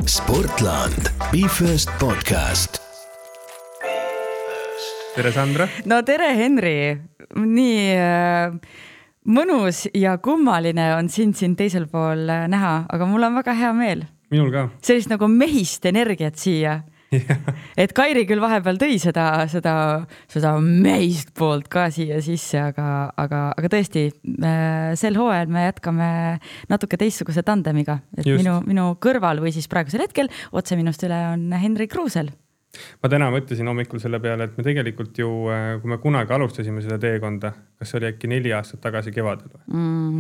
Sportland, BeFirst podcast. Tere Sandra. No tere Henri, nii mõnus ja kummaline on sind siin teisel pool näha, aga mul on väga hea meel. Minul ka. Sellist nagu mehist energiat siia. Et Kairi küll vahepeal tõi seda mehist poolt ka siia sisse, aga tõesti sel hooajal me jätkame natuke teistsuguse tandemiga. Et minu kõrval või siis praegusel hetkel otse minust üle on Henri Kruusel. Ma täna mõtlesin hommikul selle peale, et me tegelikult ju, kui me kunagi alustasime seda teekonda, kas oli äkki 4 aastat tagasi kevadel?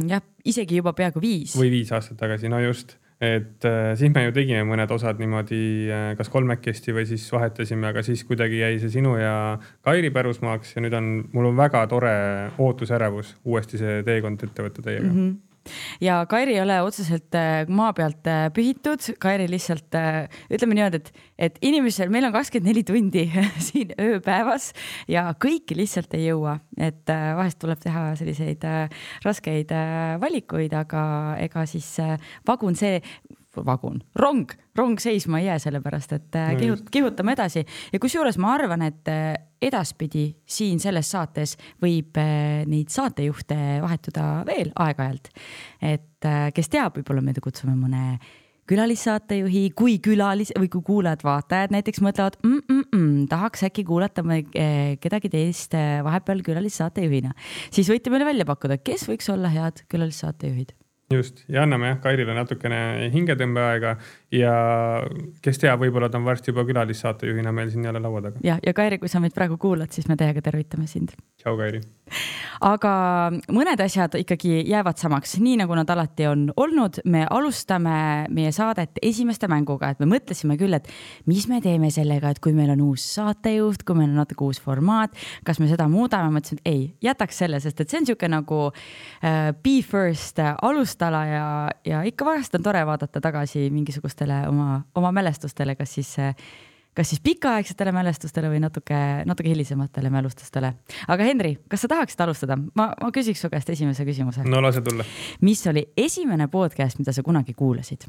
Jah, isegi juba peaaegu 5. Või 5 aastat tagasi, no just. Et siis me ju tegime mõned osad niimoodi kas kolmekesti või siis vahetasime, aga siis kuidagi jäi see sinu ja Kairi pärusmaaks ja nüüd mul on väga tore ootusärevus uuesti see teekond ette võtta teiega. Ja Kairi ei ole otseselt maa pealt pühitud. Kairi lihtsalt, ütleme niimoodi, et inimesel, meil on 24 tundi siin ööpäevas ja kõiki lihtsalt ei jõua. Et vahest tuleb teha selliseid raskeid valikuid, aga ega siis rong seisma ei jää sellepärast, et kihutame edasi. Ja kusjuures ma arvan, et edaspidi siin selles saates võib neid saatejuhte vahetuda veel aeg-ajalt. Et kes teab, võib-olla me kutsume mõne külalissaatejuhi, kui kuulajad vaatajad näiteks mõtlevad, tahaks äkki kuulata kedagi teist vahepeal külalisssaatejuhina. Siis võite meile välja pakkuda, kes võiks olla head külalisssaatejuhid. Just, ja anname Kairile natukene hingetõmbeaega ja kes teab, võib-olla ta on varsti juba külalisssaatejuhina meil siin jälle laua taga. Ja Kairi, kui sa meid praegu kuulad, siis me teiega tervitame sind. Tšau, Kairi. Aga mõned asjad ikkagi jäävad samaks, nii nagu nad alati on olnud. Me alustame meie saadet esimeste mänguga, et me mõtlesime küll, et mis me teeme sellega, et kui meil on uus saatejuht, kui meil on natuke uus formaat, kas me seda muudame, mõtlesin, et ei, jätaks selle, sest et see on siuke nagu BeFirst alustala ja ikka vahest on tore vaadata tagasi mingisugustele oma mälestustele, kas siis pikaaegsetele mälestustele või natuke hilisematele mälestustele. Aga Henri, kas sa tahaksid alustada? Ma küsiks su käest esimese küsimuse. No lase tulla. Mis oli esimene podcast, mida sa kunagi kuulasid?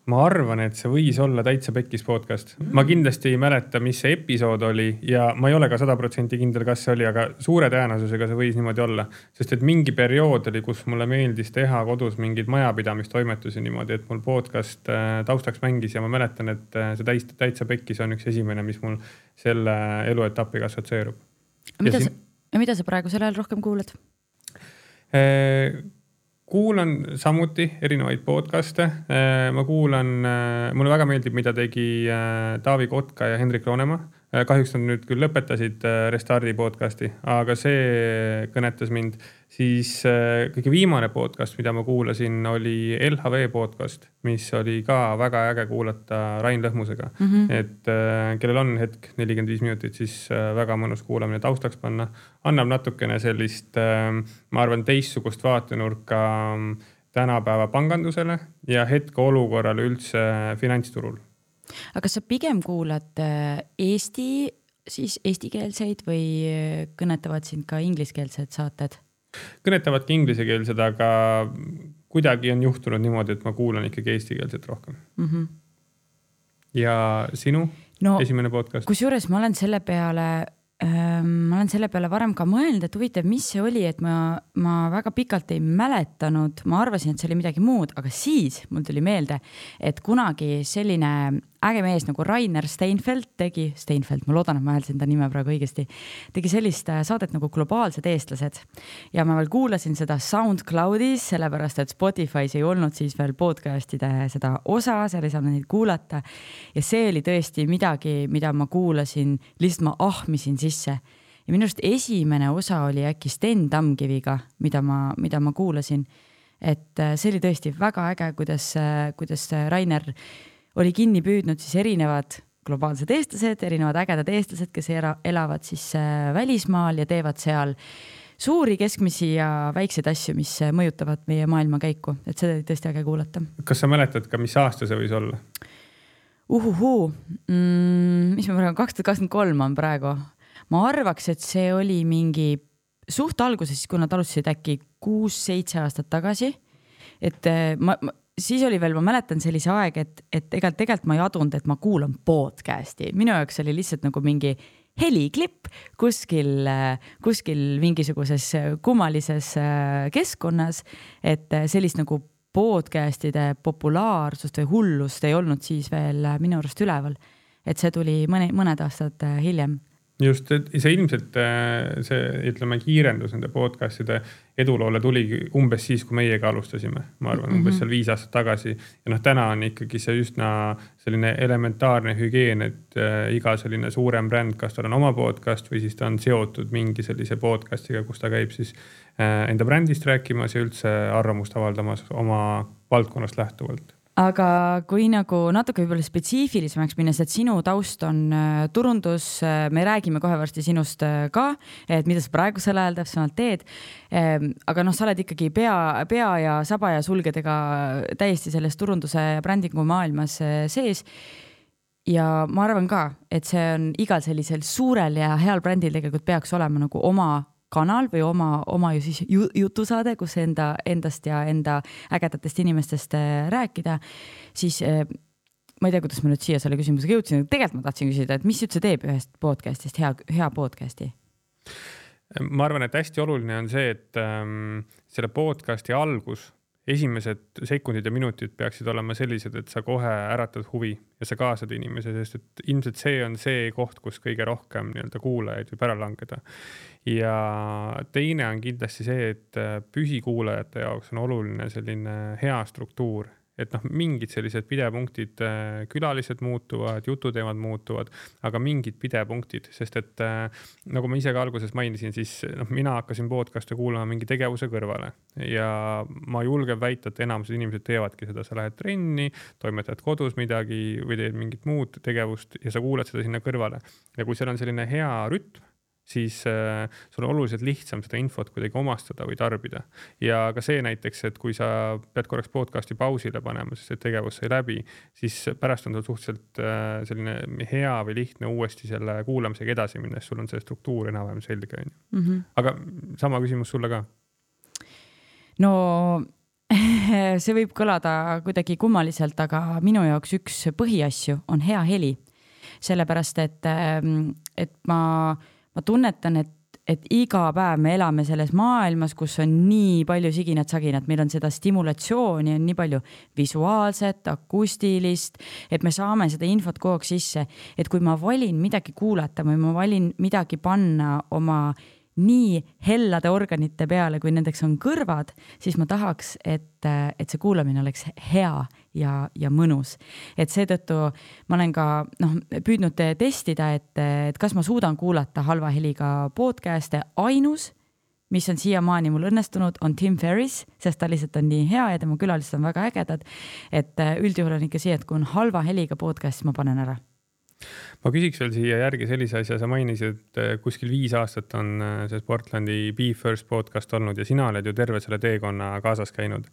Ma arvan, et see võis olla Täitsa Pekkis podcast. Ma kindlasti ei mäleta, mis see episood oli ja ma ei ole ka 100% kindel, kas see oli, aga suure tõenäosusega see võis niimoodi olla. Sest et mingi periood oli, kus mulle meeldis teha kodus mingid majapidamistoimetusi niimoodi, et mul podcast taustaks mängis ja ma mäletan, et see Täitsa Pekkis on üks esimene, mis mul selle eluetapiga assotsieerub. Mida sa praegu selle ajal rohkem kuulad? Kuulan samuti erinevaid podcaste. Ma kuulan, mulle väga meeldib, mida tegi Taavi Kotka ja Hendrik Roonemaa. Kahjuks nad nüüd küll lõpetasid Restardi podcasti, aga see kõnetas mind. Siis kõige viimane podcast, mida ma kuulasin, oli LHV podcast, mis oli ka väga äge kuulata Rain Lõhmusega. Et kellel on hetk 45 minutit, siis väga mõnus kuulamine taustaks panna. Annab natukene sellist, ma arvan, teistsugust vaatenurka tänapäeva pangandusele ja hetke olukorrale üldse finantsturul. Aga kas sa pigem kuulad eestikeelseid või kõnetavad sind ka ingliskeelsed saated? Kõnetavadki inglisekeelsed, aga kuidagi on juhtunud niimoodi, et ma kuulan ikkagi eestikeelset rohkem. Ja sinu esimene podcast? Kusjuures ma olen selle peale varem ka mõelnud, et huvitav, mis see oli, et ma väga pikalt ei mäletanud, ma arvasin, et see oli midagi muud, aga siis mul tuli meelde, et kunagi selline äge mees nagu Rainer Steinfeld ma loodan, et ma hääldasin ta nime praegu õigesti, tegi sellist saadet nagu Globaalsed eestlased ja ma veel kuulasin seda SoundCloudis, sellepärast, et Spotify's ei olnud siis veel podcastide seda osa, seal ei saanud neid kuulata ja see oli tõesti midagi, mida ma kuulasin, lihtsalt ma ahmisin sisse ja minu arust esimene osa oli äkki Sten Tamkiviga, mida ma kuulasin, et see oli tõesti väga äge, kuidas Rainer oli kinni püüdnud siis erinevad globaalsed eestlased, erinevad ägedad eestlased, kes elavad siis välismaal ja teevad seal suuri, keskmisi ja väikseid asju, mis mõjutavad meie maailma käiku. Et seda oli tõesti äge kuulata. Kas sa mäletad ka, mis aasta see võis olla? Mis me praegu, 2023 on praegu. Ma arvaks, et see oli mingi suht alguses, kui nad alustasid äkki 6-7 aastat tagasi. Et siis oli veel, ma mäletan sellise aeg, et tegelikult ma ei adunud, et ma kuulan podcasti. Minu jaoks oli lihtsalt nagu mingi heliklipp kuskil mingisuguses kummalises keskkonnas, et sellist nagu podcastide populaarsust või hullust ei olnud siis veel minu arust üleval. Et see tuli mõned aastad hiljem. Just, et see ilmselt ütleme kiirendus nende podcastide eduloole tuli umbes siis, kui meiega alustasime. Ma arvan, umbes seal 5 aastat tagasi. Ja täna on ikkagi see üsna selline elementaarne hügieen, et iga selline suurem bränd, kas tal on oma podcast või siis ta on seotud mingi sellise podcastiga, kus ta käib siis enda brändist rääkimas ja üldse arvamust avaldamas oma valdkonnast lähtuvalt. Aga kui nagu natuke võib-olla spetsiifilisemaks minnes, et sinu taust on turundus, me räägime kohe varsti sinust ka, et mida sa praegu selle ajal täpsemalt teed. Aga sa oled ikkagi pea ja saba ja sulgedega täiesti selles turunduse ja brändingu maailmas sees. Ja ma arvan ka, et see on igal sellisel suurel ja heal brändil tegelikult peaks olema nagu oma kanal või oma ju siis jutusaade, kus endast ja enda ägedatest inimestest rääkida, siis ma ei tea, kuidas ma nüüd siia selle küsimusega jõudsin, tegelikult ma tahtsin küsida, et mis üldse teeb ühest podcastist hea podcasti? Ma arvan, et hästi oluline on see, et selle podcasti algus, esimesed sekundid ja minutid peaksid olema sellised, et sa kohe äratad huvi ja sa kaasad inimese, sest et ilmselt see on see koht, kus kõige rohkem kuulajaid võib ära langeda. Ja teine on kindlasti see, et püsikuulajate jaoks on oluline selline hea struktuur. Et mingid sellised pidepunktid, külalised muutuvad, jututeemad muutuvad, aga mingid pidepunktid, sest et nagu ma ise ka alguses mainisin, siis mina hakkasin podcast'e kuulama mingi tegevuse kõrvale ja ma julgen väita, et enamused inimesed teevadki seda, sa lähed trenni, toimetad kodus midagi või teed mingit muud tegevust ja sa kuulad seda sinna kõrvale. Ja kui seal on selline hea rütm, siis sul on oluliselt lihtsam seda infot kuidagi omastada või tarbida. Ja ka see näiteks, et kui sa pead korraks podcasti pausile panema, sest see tegevus sai läbi, siis pärast on sul suhteliselt selline hea või lihtne uuesti selle kuulamisega edasi minna, sul on see struktuur enam-vähem selge. Aga sama küsimus sulle ka? No see võib kõlada kuidagi kummaliselt, aga minu jaoks üks põhiasju on hea heli. Sellepärast, et ma tunnetan, et iga päev me elame selles maailmas, kus on nii palju siginat-saginat, meil on seda stimulatsiooni, on nii palju visuaalset, akustilist, et me saame seda infot kogu aeg sisse, et kui ma valin midagi kuulata või ma valin midagi panna oma nii hellade organite peale, kui nendeks on kõrvad, siis ma tahaks, et see kuulamine oleks hea ja mõnus. Et seetõttu ma olen ka püüdnud testida, et kas ma suudan kuulata halva heliga podcast'e. Ainus, mis on siiamaani mul õnnestunud, on Tim Ferriss, sest ta lihtsalt on nii hea ja tema külalised on väga ägedad. Et üldjuhul on ikka see, et kui on halva heliga podcast, ma panen ära. Ma küsiks veel siia järgi sellise asja, sa mainisid, et kuskil 5 aastat on see Sportlandi Be First podcast olnud ja sina oled ju terve selle teekonna kaasas käinud.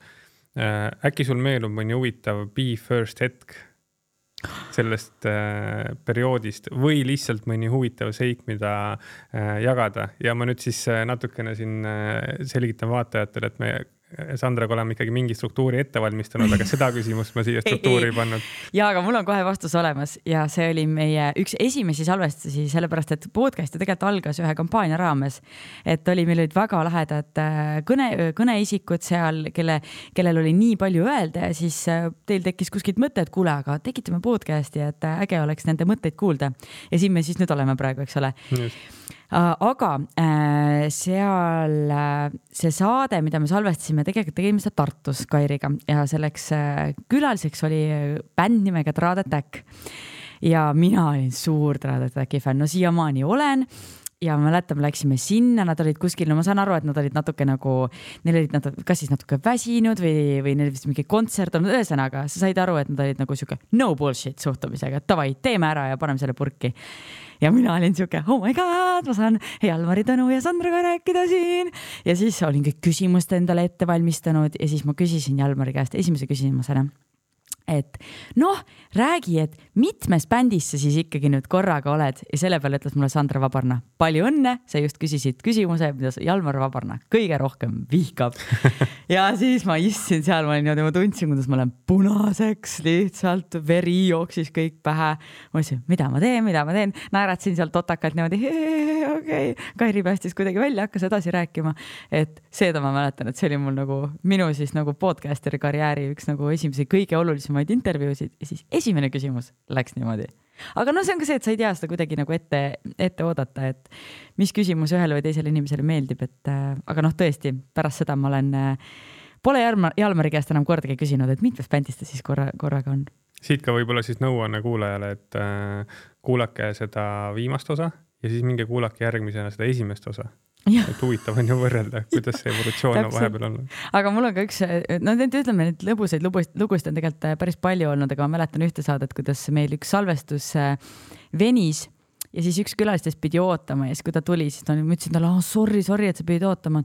Äkki sul meelub mõni huvitav Be First hetk sellest perioodist või lihtsalt mõni huvitav seik, mida jagada. Ja ma nüüd siis natukene siin selgitan vaatajatele, et me Sandraga oleme ikkagi mingi struktuuri ette valmistanud, aga seda küsimust ma siia struktuuri ei pannud. Ja, aga mul on kohe vastus olemas ja see oli meie üks esimesi salvestusi, sellepärast, et podcast tegelikult algas ühe kampaania raames. Et meil olid väga lähedad kõneisikud seal, kellel oli nii palju öelda ja siis teil tekkis kuskilt mõte, et kuule, aga tekitame podcasti, et äge oleks nende mõtteid kuulda. Ja siin me siis nüüd oleme praegu, eks ole. Aga seal see saade, mida me salvestasime, tegelikult tegime seda Tartus Kairiga ja selleks külaliseks oli bänd nimega Trad Attack ja mina olin suur Trad Attacki fänn, no siiamaani olen ja mäletan, läksime sinna, nad olid kuskil, no ma saan aru, et nad olid natuke nagu, neil olid kas siis natuke väsinud või neil vist mingi kontsert on, ühesõnaga, sa said aru, et nad olid nagu siuke no bullshit suhtumisega, et davai, teeme ära ja paneme selle purki. Ja mina olin siuke, oh my god, ma saan Jalmari Tõnu ja Sandraga rääkida siin. Ja siis olin kõik küsimust endale ette valmistanud ja siis ma küsisin Jalmari käest esimese küsimusena, et noh, räägi, et mitmes bändis sa siis ikkagi nüüd korraga oled ja selle peale ütles mulle Sandra Vabarna, palju õnne, sa just küsisid küsimuse, mida Jalmar Vabarna kõige rohkem vihkab. Ja siis ma istsin seal, ma tundsin, kuidas ma olen punaseks, lihtsalt veri jooksis kõik pähe. Ma ütlesin, mida ma teen, naeratsin seal totakalt niimoodi, okei. Kairi päästis kuidagi välja, hakkas edasi rääkima, et seda ma mäletan, et see oli mul nagu minu siis nagu podcasteri karjääri üks nagu esimese kõige olulisemaid intervjuusid ja siis esimene küsimus läks niimoodi. Aga no see on ka see, et sa ei tea seda kuidagi nagu ette oodata, et mis küsimus ühele või teisele inimesele meeldib, et aga noh, tõesti, pärast seda ma pole Jalmari käest enam kordagi küsinud, et mitmes bändis ta siis korraga on. Siit ka võib-olla siis nõuanne kuulajale, et kuulake seda viimast osa ja siis minge kuulake järgmisena seda esimest osa. Et huvitav on ju võrrelda, kuidas see evolutsioon on vahepeal olnud. Aga mul on ka üks, ütleme, et lõbusaid lugusid on tegelikult päris palju olnud, aga ma mäletan ühte saadet, kuidas meil üks salvestus venis ja siis üks külalistest pidi ootama ja siis kui ta tuli, siis ma ütlesin talle, sorry, et sa pidid ootama.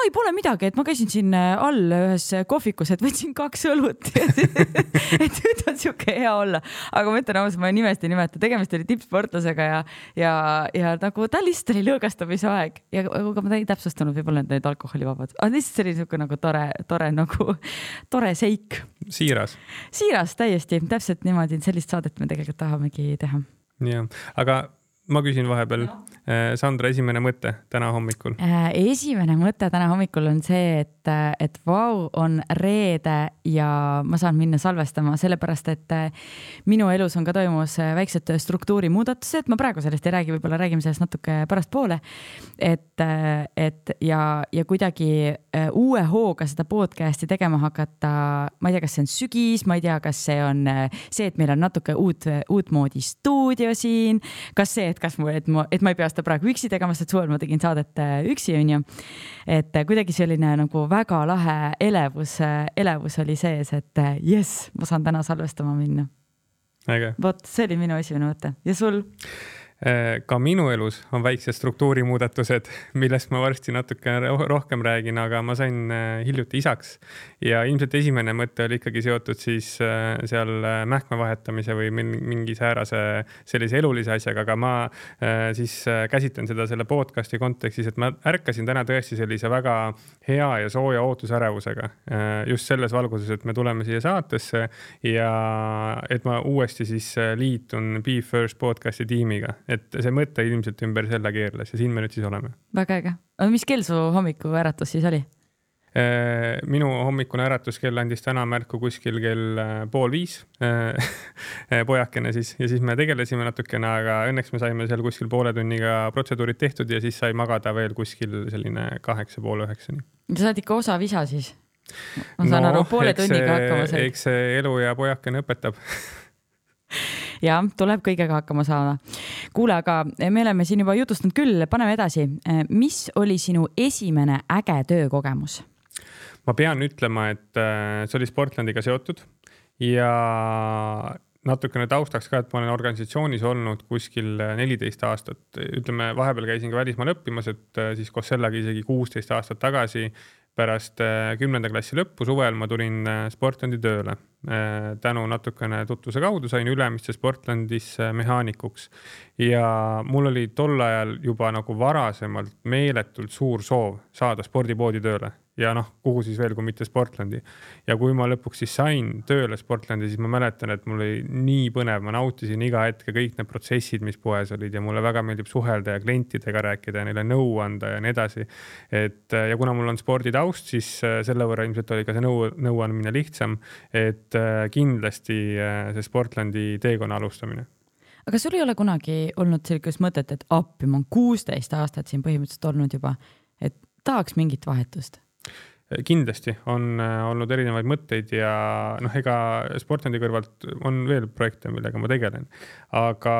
Ei pole midagi, et ma käisin siin all ühes kohvikus, et võtsin 2 õlut. Et nüüd on siuke hea olla. Aga ma ütlen, ma nimest ei nimeta, tegemist oli tippsportlasega ja nagu ta lihtsalt oli lõõgastamise aeg. Ja aga ma ei täpsustanud võib-olla need alkoholivabad. Aga lihtsalt see oli siuke nagu tore seik. Siiras, täiesti. Täpselt niimoodi, sellist saadet me tegelikult tahamegi teha. Ja, aga ma küsin vahepeal, Sandra, esimene mõte täna hommikul? Esimene mõte täna hommikul on see, et vau, on reede ja ma saan minna salvestama, sellepärast, et minu elus on ka toimus väiksed struktuurimuudatused, ma praegu sellest ei räägi, võib-olla räägime sellest natuke pärast poole, ja kuidagi uue hooga seda podcasti tegema hakata, ma ei tea, kas see on sügis, ma ei tea, kas see on see, et meil on natuke uut moodi stuudio siin, kas see, et ma ei pea seda praegu üksi tegema, sest suvel ma tegin saadet üksi, on ju. Et kuidagi selline nagu väga lahe elevus oli sees, et yes, ma saan täna salvestama minna. Vot, see oli minu esimene mõte. Ja sul? Ka minu elus on väiksed struktuurimuudatused, millest ma varsti natuke rohkem räägin, aga ma sain hiljuti isaks ja ilmselt esimene mõte oli ikkagi seotud siis seal mähkme vahetamise või mingi säärase sellise elulise asjaga, aga ma siis käsitlen seda selle podcasti kontekstis, et ma ärkasin täna tõesti sellise väga hea ja sooja ootusärevusega just selles valguses, et me tuleme siia saatesse ja et ma uuesti siis liitun Be First podcasti tiimiga. Et see mõte ilmselt ümber selle keerles ja siin me nüüd siis oleme. Väga äge. Aga mis kell su hommiku äratus siis oli? Minu hommikune äratuskell andis täna märku kuskil kell 4:30 pojakene siis ja siis me tegelesime natukene, aga õnneks me saime seal kuskil poole tunniga protseduurid tehtud ja siis sai magada veel kuskil selline 8:30. Sa saad ikka osa visa siis? Ma saan aru, poole tunniga hakkama said. Eks see elu ja pojakene õpetab. Ja, tuleb kõigega hakkama saada. Kuule, aga me oleme siin juba jutustanud küll, paneme edasi. Mis oli sinu esimene äge töökogemus? Ma pean ütlema, et see oli Sportlandiga seotud ja natukene taustaks ka, et ma olen organisatsioonis olnud kuskil 14 aastat. Ütleme, vahepeal käisin ka välismaal õppimas, et siis koos sellega isegi 16 aastat tagasi pärast 10. klassi lõppu suvel ma tulin Sportlandi tööle. Tänu natukene tutvuse kaudu sain Ülemiste Sportlandis mehaanikuks ja mul oli tol ajal juba nagu varasemalt meeletult suur soov saada spordipoodi tööle ja kuhu siis veel, kui mitte Sportlandi. Ja kui ma lõpuks siis sain tööle Sportlandi, siis ma mäletan, et mul oli nii põnev, ma nautisin iga hetke kõik need protsessid, mis poes olid ja mulle väga meeldib suhelda ja klientidega rääkida ja neile nõu anda ja nii edasi. Ja kuna mul on sporditaust, siis selle võrra ilmselt oli ka see nõu andmine lihtsam, et kindlasti see Sportlandi teekonna alustamine. Aga sul ei ole kunagi olnud sellisest mõtet, et appi, ma on 16 aastat siin põhimõtteliselt olnud juba, et tahaks mingit vahetust? Kindlasti on olnud erinevaid mõtteid ja ega Sportlandi kõrvalt on veel projekte, millega ma tegelen. Aga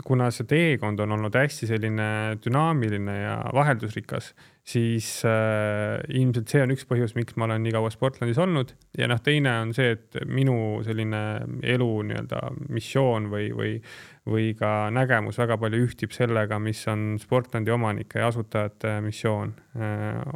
kuna see teekond on olnud hästi selline dünaamiline ja vaheldusrikas, siis ilmselt see on üks põhjus, miks ma olen nii kaua Sportlandis olnud ja teine on see, et minu selline elu nii-öelda missioon või ka nägemus väga palju ühtib sellega, mis on Sportlandi omanike ja asutajate missioon.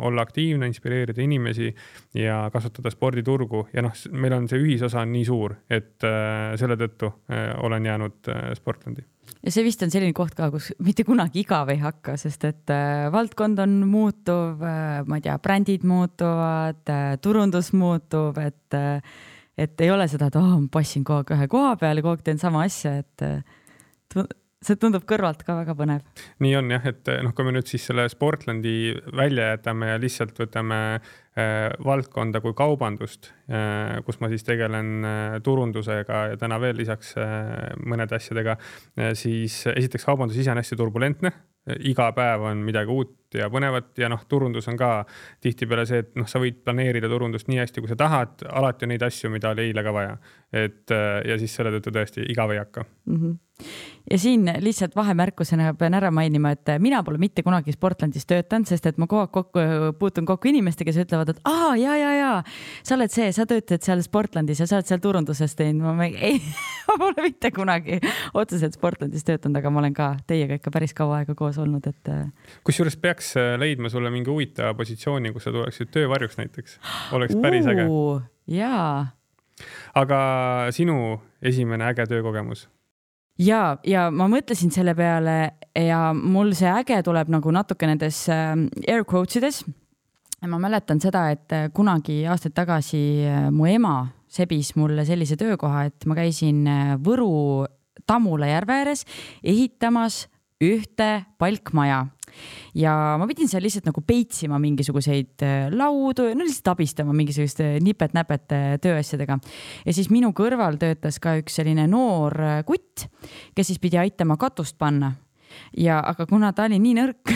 Olla aktiivne, inspireerida inimesi ja kasutada sporditurgu ja meil on see ühisosa nii suur, et selle tõttu olen jäänud Sportlandi. Ja see vist on selline koht ka, kus mitte kunagi igav ei hakka, sest et valdkond on muutuv, ma ei tea, brändid muutuvad, turundus muutub, et ei ole seda, et ma passin kogu aeg ühe koha peale, kogu aeg teen sama asja, et see tundub kõrvalt ka väga põnev. Nii on jah, et kui me nüüd siis selle Sportlandi välja jätame ja lihtsalt võtame valdkonda kui kaubandust, kus ma siis tegelen turundusega ja täna veel lisaks mõned asjadega, siis esiteks kaubandus ise on hästi turbulentne. Iga päev on midagi uut ja põnevat ja turundus on ka tihtipeale see, et sa võid planeerida turundust nii hästi, kui sa tahad, alati on neid asju, mida oli eile ka vaja. Ja siis selle tõttu tõesti igav ei hakka. Ja siin lihtsalt vahemärkusena pean ära mainima, et mina pole mitte kunagi Sportlandis töötanud, sest et ma kogu aeg puutun kokku inimestega, kes ütlevad, et jaa, sa oled see, sa töötad seal Sportlandis ja sa oled seal turunduses teinud. Ma pole mitte kunagi otseselt Sportlandis töötanud, aga ma olen ka teiega ikka päris kaua aega koos olnud. Kusjuures peaks leidma sulle mingi huvitava positsiooni, kus sa tuleksid töövarjuks näiteks. Oleks päris äge. Jaa. Aga sinu esimene äge töökogemus? Ja ma mõtlesin selle peale ja mul see äge tuleb nagu natuke nendes air quotesides. Ma mäletan seda, et kunagi aastaid tagasi mu ema sebis mulle sellise töökoha, et ma käisin Võru Tammula järve ääres ehitamas ühte palkmaja. Ja ma pidin seal lihtsalt nagu peitsima mingisuguseid laudu, lihtsalt abistama mingisuguste nipet-näpet tööasjadega. Ja siis minu kõrval töötas ka üks selline noor kutt, kes siis pidi aitama katust panna. Aga kuna ta oli nii nõrk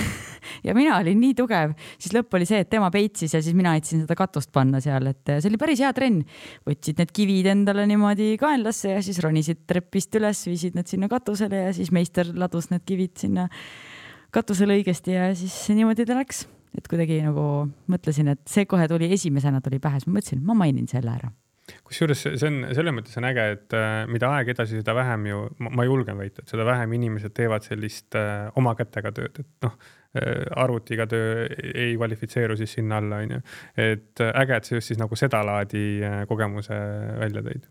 ja mina olin nii tugev, siis lõpp oli see, et tema peitsis ja siis mina aitasin seda katust panna seal. Et see oli päris hea trenn. Võtsid need kivid endale niimoodi kaenlasse ja siis ronisid treppist üles, viisid need sinna katusele ja siis meister ladus need kivid sinna katusele õigesti ja siis niimoodi ta läks. Et kuidagi nagu mõtlesin, et see kohe tuli esimesena tuli pähe, ma mõtlesin, ma mainin selle ära. Kusjuures see on selle mõttes on äge, et mida aeg edasi, seda vähem ju, ma julgen väita, et seda vähem inimesed teevad sellist oma kätega tööd, et arvutiga töö ei kvalifitseeru siis sinna alla. Et äge, et see just siis nagu seda laadi kogemuse välja tõid.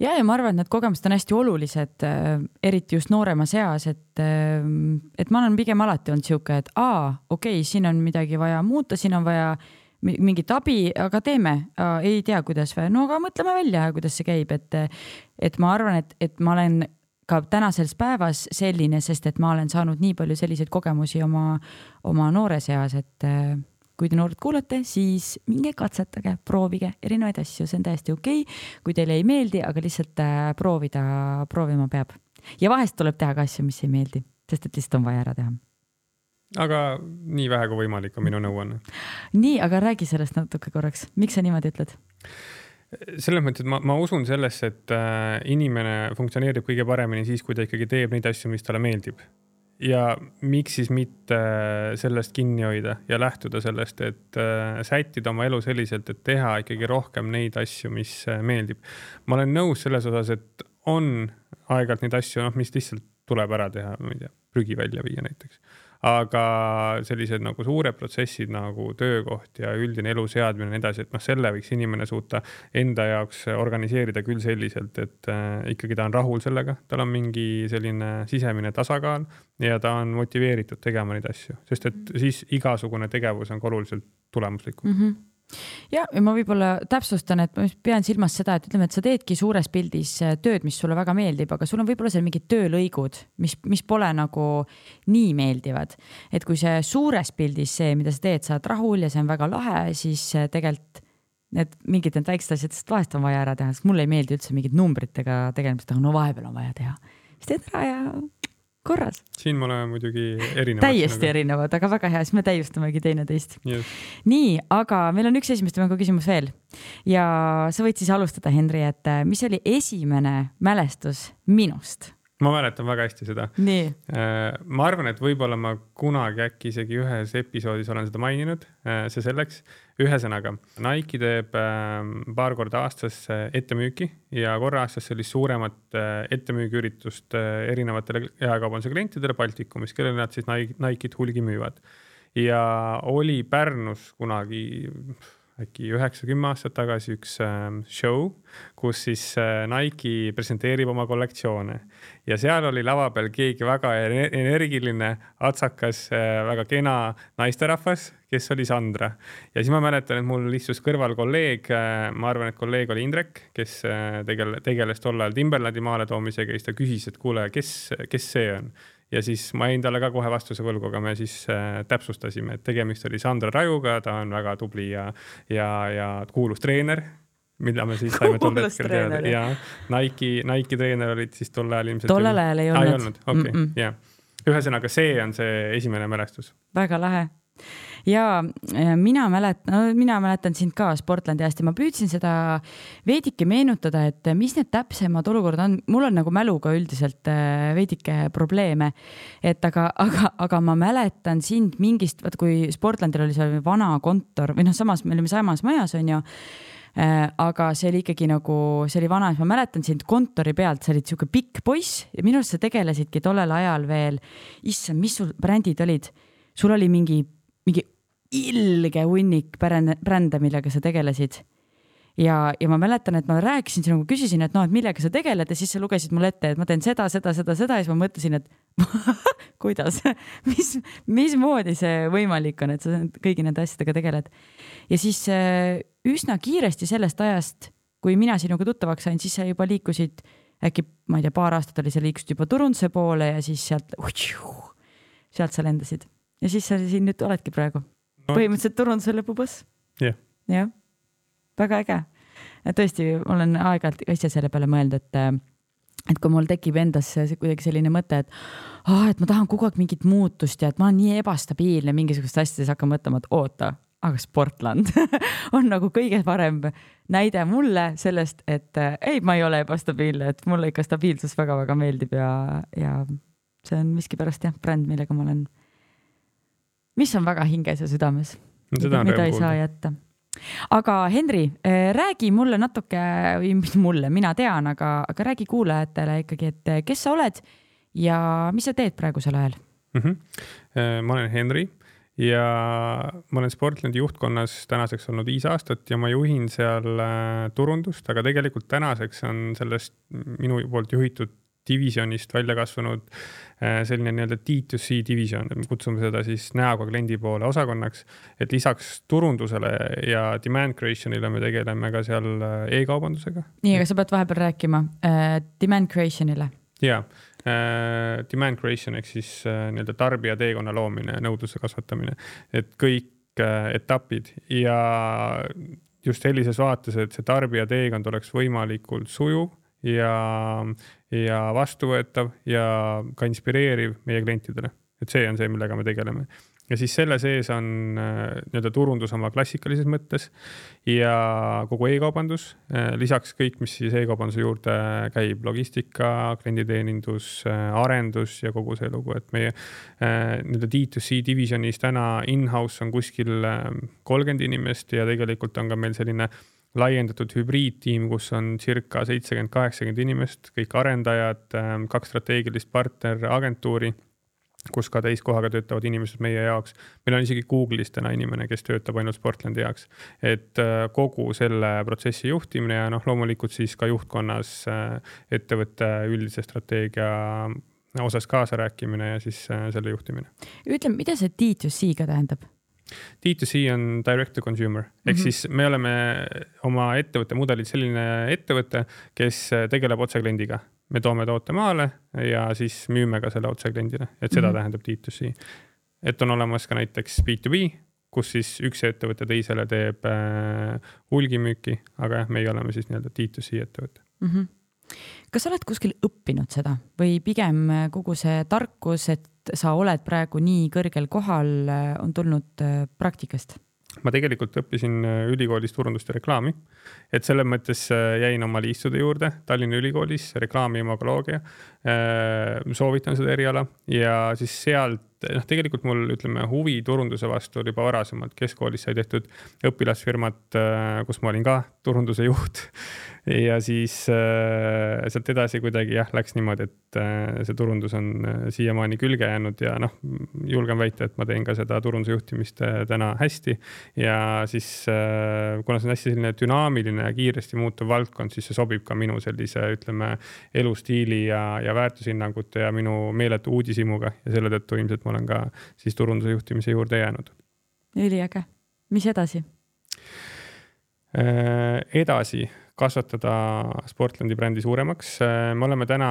Ja ma arvan, et need kogemused on hästi olulised, eriti just noorema seas, et ma olen pigem alati olnud siuke, et okei, siin on midagi vaja muuta, siin on vaja mingit abi, aga teeme, ei tea, kuidas või, aga mõtleme välja, kuidas see käib, et ma arvan, et ma olen ka tänasels päevas selline, sest et ma olen saanud nii palju selliseid kogemusi oma noore seas, et kui te noored kuulate, siis minge katsetage, proovige erinevaid asju, see on täiesti okei, kui teile ei meeldi, aga lihtsalt proovima peab. Ja vahest tuleb teha ka asju, mis ei meeldi, sest et lihtsalt on vaja ära teha. Aga nii vähe kui võimalik on minu nõuanne. Nii, aga räägi sellest natuke korraks. Miks sa niimoodi ütled? Selles mõttes, et ma usun sellesse, et inimene funktsioneerib kõige paremini siis, kui ta ikkagi teeb neid asju, mis talle meeldib. Ja miks siis mitte sellest kinni hoida ja lähtuda sellest, et sättida oma elu selliselt, et teha ikkagi rohkem neid asju, mis meeldib. Ma olen nõus selles osas, et on aegalt neid asju, mis lihtsalt tuleb ära teha, ma ei tea, prügi välja viia näiteks. Aga sellised nagu suured protsessid nagu töökoht ja üldine elu seadmine ja edasi, et selle võiks inimene suuta enda jaoks organiseerida küll selliselt, et ikkagi ta on rahul sellega, tal on mingi selline sisemine tasakaal ja ta on motiveeritud tegema neid asju, sest et siis igasugune tegevus on oluliselt tulemuslikum. Ja ma võib-olla täpsustan, et ma pean silmas seda, et ütleme, et sa teedki suures pildis tööd, mis sulle väga meeldib, aga sul on võib-olla seal mingid töölõigud, mis pole nagu nii meeldivad. Et kui see suures pildis see, mida sa teed, saad rahul ja see on väga lahe, siis tegelikult mingid need väiksed asjad, sest vahest on vaja ära teha, sest mulle ei meeldi üldse mingid numbritega tegelemist, aga vahepeal on vaja teha. Siis teed ära ja korras. Siin me oleme muidugi erinevad. Täiesti erinevad, aga väga hea, siis me täiustamegi teine teist. Yes. Nii, aga meil on üks esimeste mängu küsimus veel. Ja sa võid siis alustada, Henri, et mis oli esimene mälestus minust, Ma mäletan väga hästi seda. Nii. Ma arvan, et võib-olla ma kunagi äkki isegi ühes episoodis olen seda maininud, see selleks. Ühesõnaga, Nike teeb paar korda aastas ettemüüki ja korra aastas sellist suuremat ettemüügiüritust erinevatele jaekaubanduse klientidele Baltikumis, kellele nad siis Nike'it hulgi müüvad. Ja oli Pärnus kunagi äkki 9-10 aastat tagasi üks show, kus siis Nike presenteerib oma kollektsioone ja seal oli lava peal keegi väga energiline, atsakas, väga kena naisterahvas, kes oli Sandra. Ja siis ma mäletan, et mul istus kõrval kolleeg, ma arvan, et kolleeg oli Indrek, kes tegeles tol ajal Timberlandi maale toomisega ja siis ta küsis, et kuule, kes see on? Ja siis ma jäin talle ka kohe vastuse võlgu, aga me siis täpsustasime, et tegemist oli Sandra Rajuga, ta on väga tubli ja kuulus treener, mida me siis saime tol hetkel teada. Ja Nike treener olid siis tol ajal ilmselt. Tollel ajal ei olnud. Okay, yeah. Ühesõnaga, see on see esimene mälestus. Väga lahe. Ja mina mäletan sind ka Sportlandi hästi. Ma püüdsin seda veidike meenutada, et mis need täpsemad olukorrad on. Mul on nagu mäluga üldiselt veidike probleeme, et aga ma mäletan sind mingist, kui Sportlandil oli see vana kontor või samas, me olime samas majas, on ju, aga see oli ikkagi nagu, see oli vana, ma mäletan sind kontori pealt, sa olid siuke pikk poiss ja minu arust sa tegelesidki tollel ajal veel, issand, mis sul brändid olid? Sul oli mingi ilge hunnik brände, millega sa tegelesid. Ja ma mäletan, et ma rääkisin sinuga, küsisin, et et millega sa tegeled ja siis sa lugesid mulle ette, et ma teen seda ja siis ma mõtlesin, et kuidas, mis moodi see võimalik on, et sa kõigi nende asjadega tegeled. Ja siis üsna kiiresti sellest ajast, kui mina sinuga tuttavaks sain, siis sa juba liikusid, äkki, ma ei tea, paar aastat oli, sa liikusid juba turunduse poole ja siis sealt sa lendasid. Ja siis sa siin nüüd oledki praegu. Põhimõtteliselt turunduse lõpuboss. Yeah. Väga äge. Tõesti, olen aeg-ajalt asja selle peale mõelnud, et kui mul tekib endas kuidagi selline mõte, et ma tahan kogu aeg mingit muutust ja et ma olen nii ebastabiilne mingisugust asjades hakkan mõtlema, et oota, aga Sportland on nagu kõige parem näide mulle sellest, et ei, ma ei ole ebastabiilne, et mulle ikka stabiilsus väga-väga meeldib ja see on miski pärast bränd, millega ma olen, mis on väga hinges ja südames, mida ei saa jätta. Aga Henri, räägi mulle natuke, või mulle, mina tean, aga räägi kuulajatele ikkagi, et kes sa oled ja mis sa teed praegusel ajal? Ma olen Henri ja ma olen Sportlandi juhtkonnas tänaseks olnud 5 aastat ja ma juhin seal turundust, aga tegelikult tänaseks on sellest minu poolt juhitud divisionist välja kasvanud selline nii-öelda D2C division, me kutsume seda siis näoga kliendi poole osakonnaks, et lisaks turundusele ja demand creationile me tegeleme ka seal e-kaubandusega. Nii, aga sa pead vahepeal rääkima demand creationile. Jaa, demand creation ehk siis nii-öelda tarbija teekonna loomine, nõudluse kasvatamine, et kõik etapid ja just sellises vaates, et see tarbija teekond oleks võimalikult sujuv ja vastuvõetav ja ka inspireeriv meie klientidele. Et see on see, millega me tegeleme. Ja siis selle sees on nii-öelda turundus oma klassikalises mõttes ja kogu e-kaubandus, lisaks kõik, mis siis e-kaubanduse juurde käib, logistika, klienditeenindus, arendus ja kogu see lugu, et meie nii-öelda D2C divisionis täna in-house on kuskil 30 inimest ja tegelikult on ka meil selline laiendatud hübriidtiim, kus on circa 70-80 inimest, kõik arendajad, 2 strateegilist partner agentuuri, kus ka täiskohaga töötavad inimesed meie jaoks. Meil on isegi Google'is täna inimene, kes töötab ainult Sportlandi jaoks. Et kogu selle protsessi juhtimine ja loomulikult siis ka juhtkonnas ettevõtte üldise strateegia osas kaasa rääkimine ja siis selle juhtimine. Ütle, mida see D2C ka tähendab? D2C on direct to consumer. Ehk siis me oleme oma ettevõtte mudelid selline ettevõte, kes tegeleb otse kliendiga. Me toome toote maale ja siis müüme ka selle otse kliendile. Et seda tähendab D2C. Et on olemas ka näiteks B2B, kus siis üks ettevõte teisele teeb hulgimüüki, aga meie oleme siis nii-öelda D2C ettevõte. Kas sa oled kuskil õppinud seda või pigem kogu see tarkus, et sa oled praegu nii kõrgel kohal, on tulnud praktikast? ma tegelikult õppisin ülikoolis turundust ja reklaami, et selles mõttes jäin oma liistude juurde Tallinna Ülikoolis, reklaami imagoloogia. Soovitan seda eriala ja siis sealt, tegelikult mul ütleme huvi turunduse vastu oli juba varasemalt. Keskkoolis sai tehtud õpilasfirmat, kus ma olin ka turunduse juht ja siis sealt edasi kuidagi läks niimoodi, et see turundus on siiamaani külge jäänud ja julgen väita, et ma teen ka seda turunduse juhtimist täna hästi ja siis kuna see on hästi selline dünaamiline ja kiiresti muutuv valdkond, siis see sobib ka minu sellise, ütleme, elustiili ja väärtushinnangute ja minu meeletu uudishimuga ja selle tõttu ilmselt ma olen ka siis turunduse juhtimise juurde jäänud. Üliäge. Mis edasi? Edasi kasvatada Sportlandi brändi suuremaks. Me oleme täna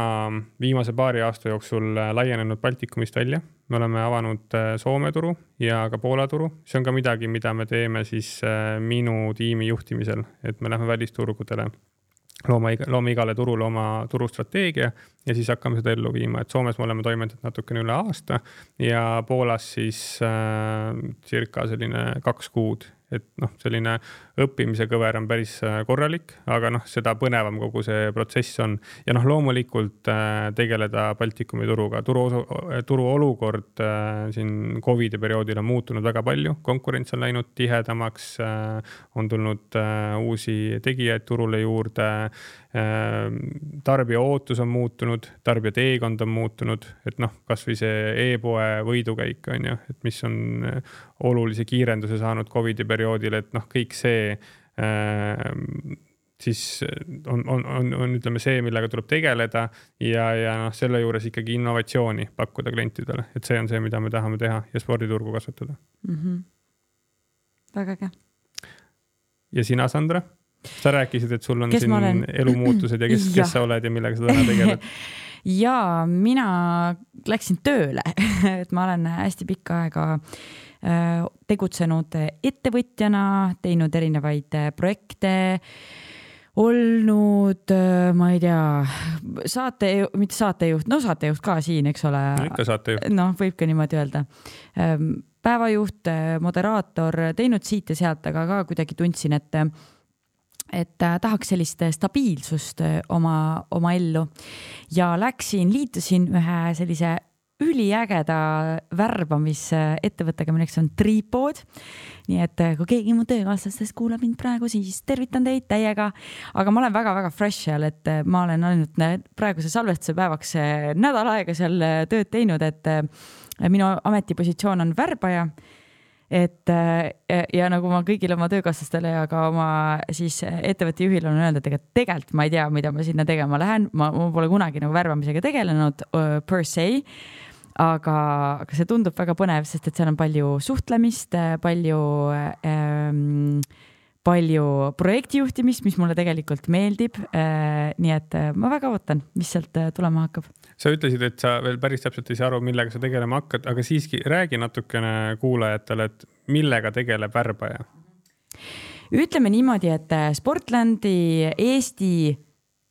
viimase paari aasta jooksul laienenud Baltikumist välja. Me oleme avanud Soome turu ja ka Poola turu. See on ka midagi, mida me teeme siis minu tiimi juhtimisel, et me lähme välisturgudele. Loome igale turule oma turustrateegia ja siis hakkame seda ellu viima. Et Soomes me oleme toimetanud natukene üle aasta ja Poolas siis circa selline 2 kuud. Et selline õppimise kõver on päris korralik, aga seda põnevam kogu see protsess on. Ja loomulikult tegeleda Baltikumi turuga. Turu olukord siin COVID-i perioodil on muutunud väga palju. Konkurents on läinud tihedamaks, on tulnud uusi tegijaid turule juurde, tarbija ootus on muutunud, tarbija teekond on muutunud, et kas või see e-poe võidukäik on ju, et mis on olulise kiirenduse saanud COVID-i perioodil, et kõik see siis on ütleme see, millega tuleb tegeleda ja selle juures ikkagi innovatsiooni pakkuda klientidele, et see on see, mida me tahame teha ja sporditurgu kasvatada. Väga äge. Ja sina, Sandra? Sa rääkisid, et sul on siin elumuutused ja kes sa oled ja millega sa täna tegeled? Ja mina läksin tööle, et ma olen hästi pikka aega tegutsenud ettevõtjana, teinud erinevaid projekte, olnud, ma ei tea, mitte saatejuht, saatejuht ka siin, eks ole. Ikka saatejuht. Võib ka niimoodi öelda. Päevajuht, moderaator, teinud siit ja sealt, aga ka kuidagi tundsin, et tahaks sellist stabiilsust oma ellu ja liitusin ühe sellise üliägeda värbamisettevõttega, milleks on Tripod. Nii et kui keegi mu töökaaslastest kuulab mind praegu, siis tervitan teid täiega. Aga ma olen väga-väga fresh seal, et ma olen ainult praeguse salvestuse päevaks nädal aega seal tööd teinud, et minu ametipositsioon on värbaja. Ja nagu ma kõigile oma töökaaslastele ja ka oma siis ettevõtte juhil on öelnud, et tegelikult ma ei tea, mida ma sinna tegema lähen. Ma pole kunagi värbamisega tegelenud per se, aga see tundub väga põnev, sest et seal on palju suhtlemist, palju projektijuhtimist, mis mulle tegelikult meeldib. Nii et ma väga ootan, mis sealt tulema hakkab. Sa ütlesid, et sa veel päris täpselt ei saa aru, millega sa tegelema hakkad, aga siiski räägi natukene kuulajatele, et millega tegeleb värbaja? Ütleme niimoodi, et Sportlandi Eesti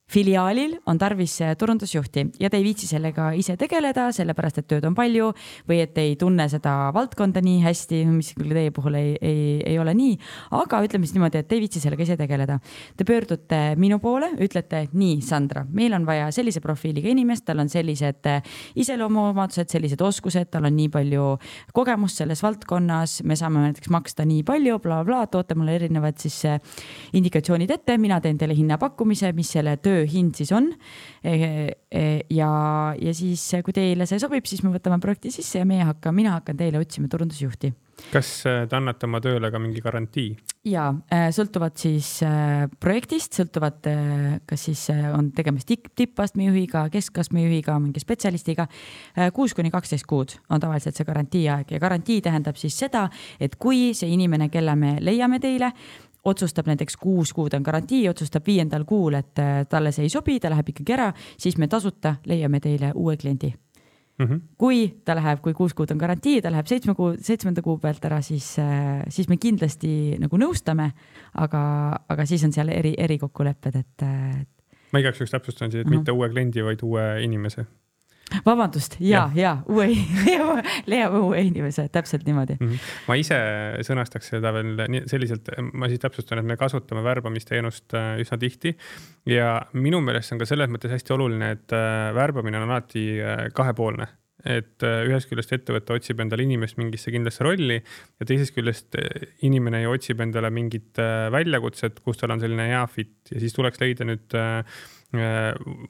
filiaalil on tarvis turundusjuhti ja te ei viitsi sellega ise tegeleda, sellepärast, et tööd on palju või et ei tunne seda valdkonda nii hästi, mis küll teie puhul ei ole nii, aga ütleme siis niimoodi, et te ei viitsi sellega ise tegeleda. Te pöördute minu poole, ütlete, nii Sandra, meil on vaja sellise profiiliga inimest, tal on sellised iseloomuomadused, sellised oskused, tal on nii palju kogemust selles valdkonnas, me saame näiteks maksta nii palju, toote mulle erinevad siis indikatsioonid ette, mina teen teile hinnapakkumise, mis selle hind siis on ja siis kui teile see sobib, siis me võtame projekti sisse ja mina hakkan teile otsima turundusjuhti. Kas te annate oma tööle ka mingi garantii? Ja sõltuvad siis projektist, sõltuvad kas siis on tegemist tippastme juhiga, keskastme juhiga, mingi spetsialistiga. 6-12 kuud on tavaliselt see garantii aeg ja garantii tähendab siis seda, et kui see inimene, kelle me leiame teile, otsustab näiteks 6 kuud on garantii, otsustab 5. kuul, et talle see ei sobi, ta läheb ikkagi ära, siis me tasuta leiame teile uue kliendi. Kui 6 kuud on garantii, ta läheb 7. kuu pealt ära, siis me kindlasti nagu nõustame, aga siis on seal erikokkulepped, et... Ma igaks üks täpsustan siis, et mitte uue kliendi, vaid uue inimese. Vabandust, leiab uue inimese, täpselt niimoodi. Ma ise sõnastaks seda veel selliselt, ma siis täpsustan, et me kasutame värbamisteenust üsna tihti ja minu meelest on ka selles mõttes hästi oluline, et värbamine on alati kahepoolne. Et ühest küljest ettevõtte otsib endale inimest mingisse kindlasse rolli ja teisest küljest inimene ju otsib endale mingit väljakutset, kus tal on selline hea fit ja siis tuleks leida nüüd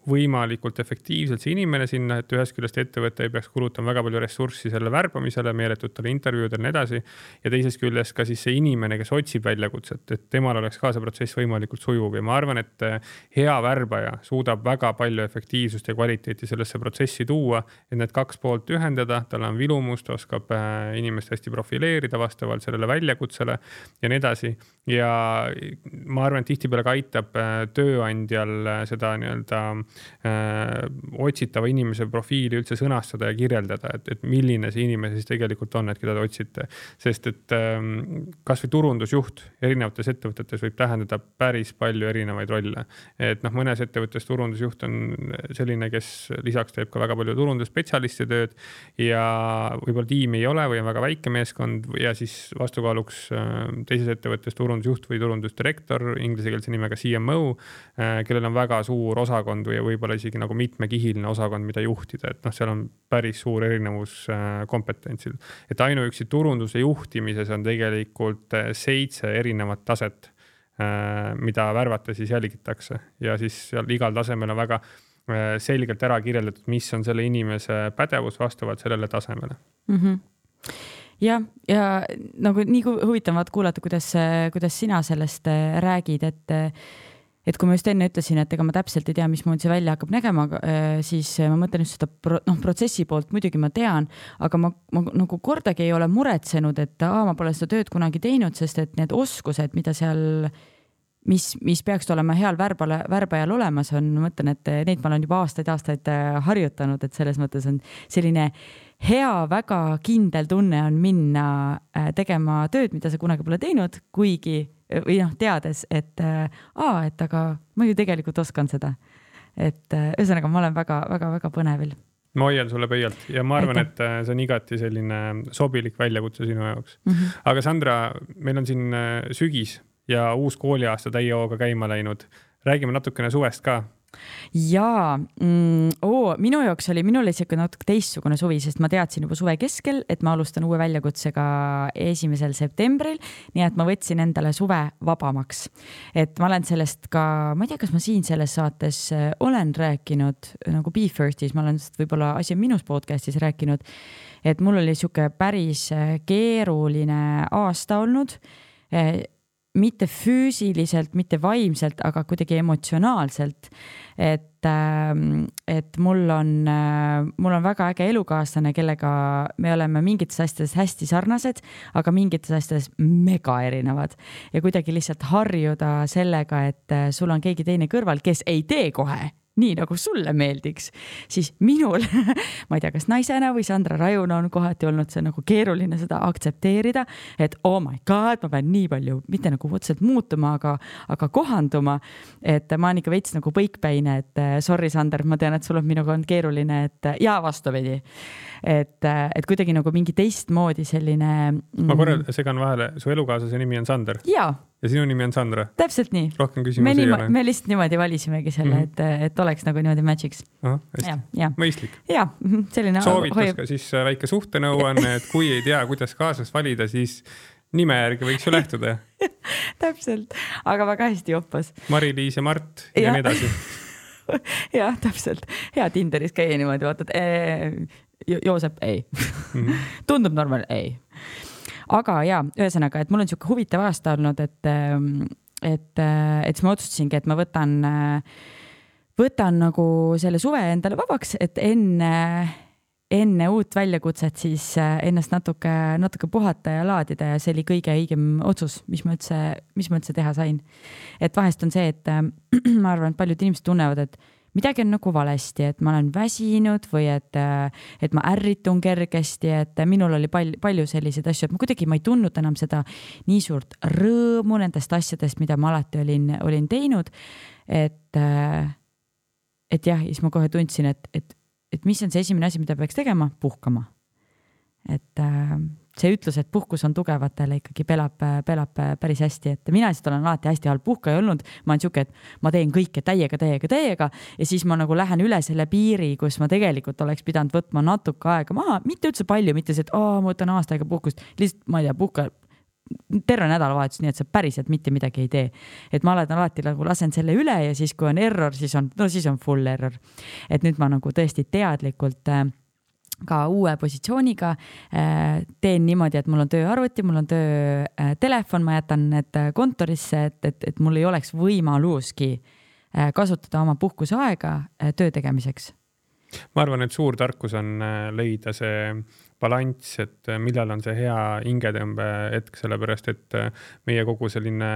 võimalikult efektiivselt see inimene sinna, et ühest küljest ettevõte ei peaks kulutama väga palju ressurssi selle värbamisele, meeletutele intervjuudele ja nii edasi. Ja teisest küljest ka siis see inimene, kes otsib väljakutset, et temal oleks ka see protsess võimalikult sujuv ja ma arvan, et hea värbaja suudab väga palju efektiivsust ja kvaliteeti sellesse protsessi tuua, et need kaks poolt ühendada, tal on vilumust, oskab inimest hästi profileerida vastavalt sellele väljakutsele ja nii edasi. Ja ma arvan, et tihtipeale ka aitab tööandjal seda nii-öelda otsitava inimese profiili üldse sõnastada ja kirjeldada, et milline see inimene siis tegelikult on, et keda te otsite. Sest et kas või turundusjuht erinevates ettevõtetes võib tähendada päris palju erinevaid rolle. Et mõnes ettevõttes turundusjuht on selline, kes lisaks teeb ka väga palju turundusspetsialisti tööd ja võib-olla tiim ei ole või on väga väike meeskond ja siis vastukaaluks teises ettevõttes turundusjuht või turundusdirektor, inglisekeelse nimega CMO, kellel on väga suur osakond või võib-olla isegi nagu mitmekihiline osakond, mida juhtida, et seal on päris suur erinevus kompetentsil. Et ainuüksi turunduse juhtimises on tegelikult 7 erinevat taset, mida värvata siis jälgitakse ja siis seal igal tasemel on väga selgelt ära kirjeldatud, mis on selle inimese pädevus vastavalt sellele tasemele. Ja nagu nii huvitavad kuulata, kuidas sina sellest räägid, et kui ma just enne ütlesin, et ega ma täpselt ei tea, mis muud see välja hakkab nägema, siis ma mõtlen just seda protsessi poolt, muidugi ma tean, aga ma nagu kordagi ei ole muretsenud, et ma pole seda tööd kunagi teinud, sest et need oskused, mida seal, mis peaks olema heal värbajal olemas on, ma mõtlen, et neid ma olen juba aastaid harjutanud, et selles mõttes on selline hea, väga kindel tunne on minna tegema tööd, mida sa kunagi pole teinud, kuigi või teades, et aga ma ju tegelikult oskan seda. Et ühesõnaga, ma olen väga põnevil. Ma hoian sulle pöialt ja ma arvan, et see on igati selline sobilik väljakutse sinu jaoks. Aga Sandra, meil on siin sügis ja uus kooliaasta täie hooga käima läinud. Räägime natukene suvest ka. Jaa, minul oli siuke natuke teistsugune suvi, sest ma teadsin juba suve keskel, et ma alustan uue väljakutsega 1. septembril, nii et ma võtsin endale suve vabamaks. Et ma olen sellest ka, ma ei tea, kas ma siin selles saates olen rääkinud, nagu Be Firstis, ma olen võib-olla Asi on minus podcastis rääkinud, et mul oli siuke päris keeruline aasta olnud, mitte füüsiliselt, mitte vaimselt, aga kuidagi emotsionaalselt, et mul on väga äge elukaaslane, kellega me oleme mingites asjades hästi sarnased, aga mingites asjades mega erinevad ja kuidagi lihtsalt harjuda sellega, et sul on keegi teine kõrval, kes ei tee kohe nii nagu sulle meeldiks, siis minul, ma ei tea, kas naisena või Sandra Rajuna on kohati olnud see nagu keeruline seda aktsepteerida, et oh my god, ma pean nii palju, mitte nagu otseselt muutuma, aga kohanduma, et ma olen ikka veits nagu põikpäine, et sorry Sander, ma tean, et sul on minuga on keeruline, et ja vastupidi, et kuidagi nagu mingi teistmoodi selline... Ma korra segan vahele, su elukaaslase nimi on Sander? Jaa. Ja sinu nimi on Sandra? Täpselt nii. Rohkem küsimusi ei ole. Me lihtsalt niimoodi valisimegi selle, et oleks nagu niimoodi matchiks. Mõistlik. Ja, selline... Soovitus ka siis väike suhtenõuanne, et kui ei tea, kuidas kaaslast valida, siis nime järgi võiks ju lähtuda. Täpselt, aga väga hästi joppas. Mari-Liis ja Mart ja nii edasi. Jah, täpselt. Hea Tinderis käia niimoodi, vaatad, Joosep, ei. Tundub normaal, ei. Aga ühesõnaga, et mul on siuke huvitav aasta olnud, et siis ma otsustasingi, et ma võtan nagu selle suve endale vabaks, et enne uut väljakutset siis ennast natuke puhata ja laadida ja see oli kõige õigem otsus, mis ma üldse teha sain. Et vahest on see, et ma arvan, et paljud inimesed tunnevad, et midagi on nagu valesti, et ma olen väsinud või et ma ärritun kergesti, et minul oli palju selliseid asju, et ma ei tundnud enam seda nii suurt rõõmu nendest asjadest, mida ma alati olin teinud, et jah, siis ma kohe tundsin, et et mis on see esimene asi, mida peaks tegema? Puhkama. Et see ütlus, et puhkus on tugevatele ikkagi pelab päris hästi, et mina lihtsalt olen alati hästi halb puhkaja olnud, ma olen siuke, et ma teen kõike täiega ja siis ma nagu lähen üle selle piiri, kus ma tegelikult oleks pidanud võtma natuke aega maha, mitte üldse palju, mitte see, et ma võtan aasta aega puhkust, lihtsalt ma ei tea, puhka terve nädalavahetus, nii et sa päriselt mitte midagi ei tee. Et ma alati nagu lasen selle üle ja siis kui on error, siis on full error. Et nüüd ma nagu tõesti teadlikult ka uue positsiooniga teen niimoodi, et mul on tööarvuti, mul on töötelefon, ma jätan need kontorisse, et mul ei oleks võimaluski kasutada oma puhkuseaega töö tegemiseks. Ma arvan, et suur tarkus on leida see balanss, et millal on see hea hingetõmbe hetk, sellepärast et meie kogu selline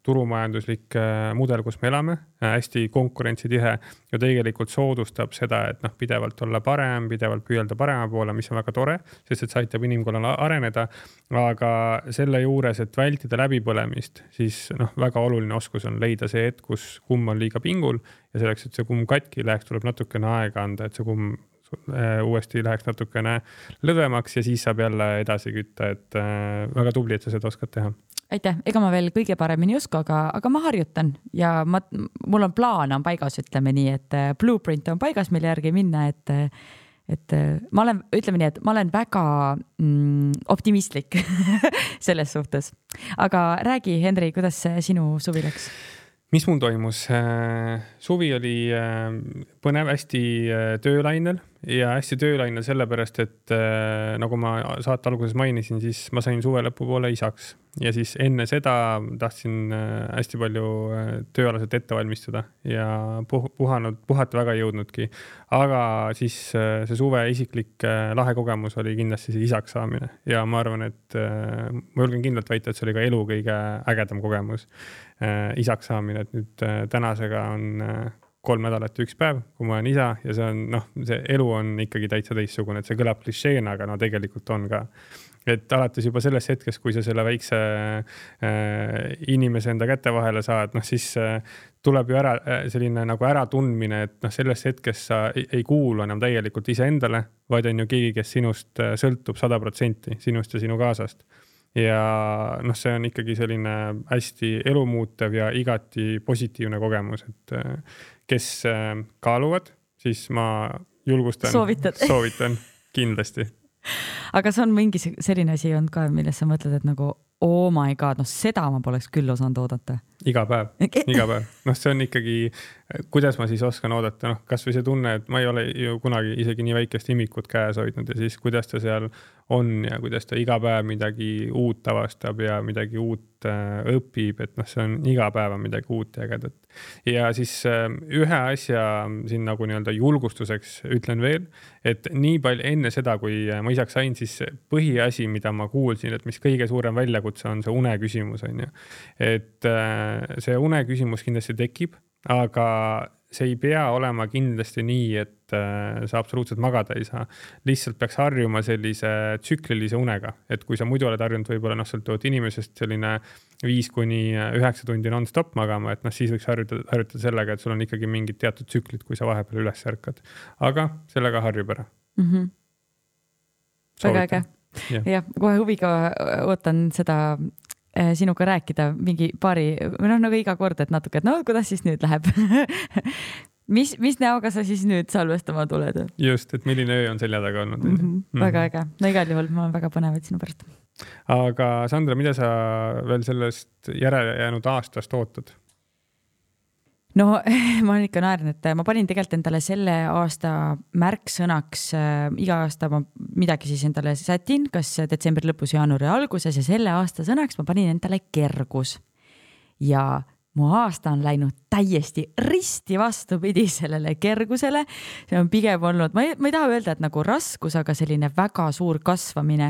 turumajanduslik mudel, kus me elame, hästi konkurentsitihe ja tegelikult soodustab seda, et pidevalt olla parem, pidevalt püüelda parema poole, mis on väga tore, sest et see aitab inimkonnal areneda, aga selle juures, et vältida läbipõlemist, siis väga oluline oskus on leida see hetk, kus kumm on liiga pingul ja selleks, et see kumm katki läheks, tuleb natukene aega anda, et see kumm uuesti läheks natukene lõdvemaks ja siis saab jälle edasi kütta, et väga tubli, et sa seda oskad teha. Aitäh, ega ma veel kõige paremini ei oska, aga ma harjutan ja mul on plaan on paigas, ütleme nii, et blueprint on paigas, mille järgi minna, et ma olen, ütleme nii, et ma olen väga optimistlik selles suhtes. Aga räägi, Henri, kuidas sinu suvi läks? Mis mul toimus? Suvi oli põnev, hästi töölainel ja hästi töölainel sellepärast, et nagu ma saate alguses mainisin, siis ma sain suve lõpupoole isaks ja siis enne seda tahtsin hästi palju tööalaselt ette valmistada ja puhata väga ei jõudnudki. Aga siis see suve isiklik lahe kogemus oli kindlasti see isaks saamine ja ma arvan, et ma julgen kindlalt väita, et see oli ka elu kõige ägedam kogemus isaks saamine, et nüüd tänasega on 3 nädalat ja 1 päev, kui ma olen isa ja see on, see elu on ikkagi täitsa teissugune, et see kõlab klišeena, aga tegelikult on ka. Et alates juba sellest hetkest, kui sa selle väikse inimese enda kätte vahele saad, siis tuleb ju selline nagu äratundmine, et sellest hetkest sa ei kuulu enam täielikult iseendale, vaid on ju keegi, kes sinust sõltub 100% sinust ja sinu kaasast. Ja see on ikkagi selline hästi elumuutev ja igati positiivne kogemus, et kes kaaluvad, siis ma julgustan, soovitan kindlasti. Aga see on mingi selline asi on ka, milles sa mõtled, et nagu oh my god, seda ma poleks küll osanud oodata. Iga päev. See on ikkagi, kuidas ma siis oskan oodata, kas või see tunne, et ma ei ole ju kunagi isegi nii väikest imikut käes hoidnud ja siis kuidas ta seal on ja kuidas ta iga päev midagi uut avastab ja midagi uut õpib, et see on iga päev midagi uut ja ägedat. Ja siis ühe asja siin nagu nii-öelda julgustuseks ütlen veel, et nii palju enne seda, kui ma isaks sain, siis põhiasi, mida ma kuulsin, et mis kõige suurem väljakutse on see une küsimus, on ju. Et see une küsimus kindlasti tekib, aga see ei pea olema kindlasti nii, et sa absoluutselt magada ei saa. Lihtsalt peaks harjuma sellise tsüklilise unega, et kui sa muidu oled harjunud võib-olla sõltuvalt inimesest selline 5-9 tundi non-stop magama, et siis võiks harjutada sellega, et sul on ikkagi mingid teatud tsüklid, kui sa vahepeal üles ärkad. Aga sellega harjub ära. Väga äge. Ja, kohe huviga ootan seda sinuga rääkida mingi paari, nagu iga kord, et natuke, et kuidas siis nüüd läheb? Mis näoga sa siis nüüd salvestama tuled? Just, et milline öö on selja taga olnud. Väga äge. No igal juhul ma olen väga põnevad sinu pärast. Aga Sandra, mida sa veel sellest järele jäänud aastast ootad? No ma ikka naerin, et ma panin tegelikult endale selle aasta märksõnaks, iga aasta ma midagi siis endale sätin, kas detsembri lõpus, jaanuari alguses ja selle aasta sõnaks ma panin endale kergus. Ja mu aasta on läinud täiesti risti vastupidi sellele kergusele. See on pigem olnud, ma ei taha öelda, et nagu raskus, aga selline väga suur kasvamine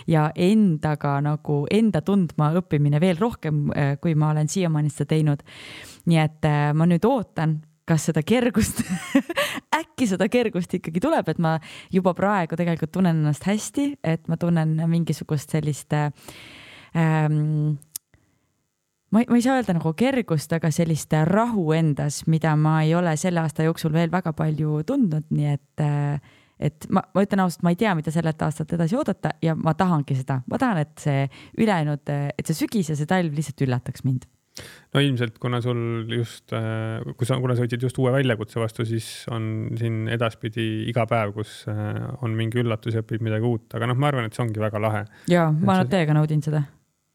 ja endaga nagu enda tundma õppimine veel rohkem, kui ma olen siiamaani seda teinud. Nii et ma nüüd ootan, kas seda kergust, äkki seda kergust ikkagi tuleb, et ma juba praegu tegelikult tunnen ennast hästi, et ma tunnen mingisugust sellist ma ei saa öelda nagu kergust, aga sellist rahu endas, mida ma ei ole selle aasta jooksul veel väga palju tundnud, nii et ma ütlen ausalt, ma ei tea, mida sellelt aastat edasi oodata ja ma tahangi seda. Ma tahan, et see ülejäänud, et see sügis ja see talv lihtsalt üllataks mind. No ilmselt, kuna sul just, kuna sa võtsid just uue väljakutse vastu, siis on siin edaspidi iga päev, kus on mingi üllatus ja õpib midagi uut, aga ma arvan, et see ongi väga lahe. Jaa, ma täiega naudin seda.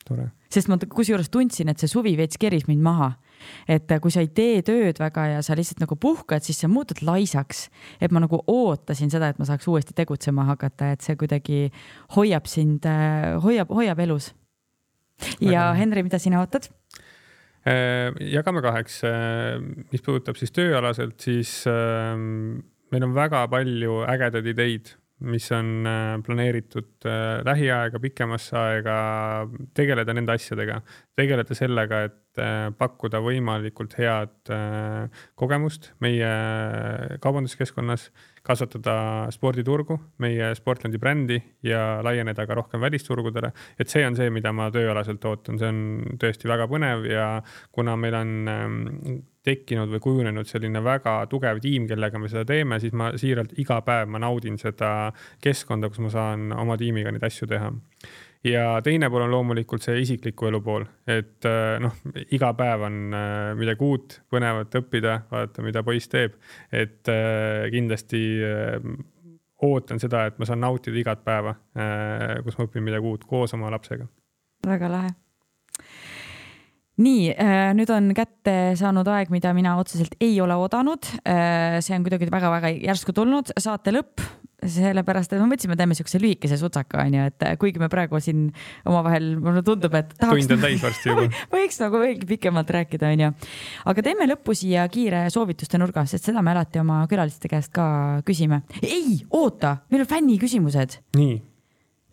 Tore. Sest ma kusjuures tundsin, et see suvi veits keris mind maha. Et kui sa ei tee tööd väga ja sa lihtsalt nagu puhkad, siis sa muutud laisaks. Et ma nagu ootasin seda, et ma saaks uuesti tegutsema hakata, et see kuidagi hoiab sind, hoiab elus. Ja Henri, mida sina ootad? Jagame 2. Mis puudutab siis tööalaselt, siis meil on väga palju ägedaid ideid, mis on planeeritud lähiaega, pikemasse aega, tegeleda nende asjadega, tegeleda sellega, et pakkuda võimalikult head kogemust meie kaubanduskeskkonnas, kasvatada sporditurgu, meie Sportlandi brändi ja laieneda ka rohkem välisturgudele. Et see on see, mida ma tööalaselt ootan. See on tõesti väga põnev ja kuna meil on tekkinud või kujunenud selline väga tugev tiim, kellega me seda teeme, siis ma siiralt iga päev ma naudin seda keskkonda, kus ma saan oma tiimiga neid asju teha. Ja teine pool on loomulikult see isikliku elu pool, et iga päev on midagi uut, põnevat õppida, vaadata, mida poiss teeb, et kindlasti ootan seda, et ma saan nautida igat päeva, kus ma õpin midagi uut koos oma lapsega. Väga lahe. Nii, nüüd on kätte saanud aeg, mida mina otseselt ei ole oodanud. See on kuidagi väga-väga järsku tulnud, saate lõpp. Sellepärast, et me mõtlesime, teeme siukse lühikese sutsaka, et kuigi me praegu siin omavahel, mulle tundub, et tahaks... Tund on täis varsti juba. Võiks nagu veelgi pikemalt rääkida, Aga teeme lõppu siia kiire soovituste nurga, sest seda me alati oma külaliste käest ka küsime. Ei, oota, meil on fänni küsimused. Nii.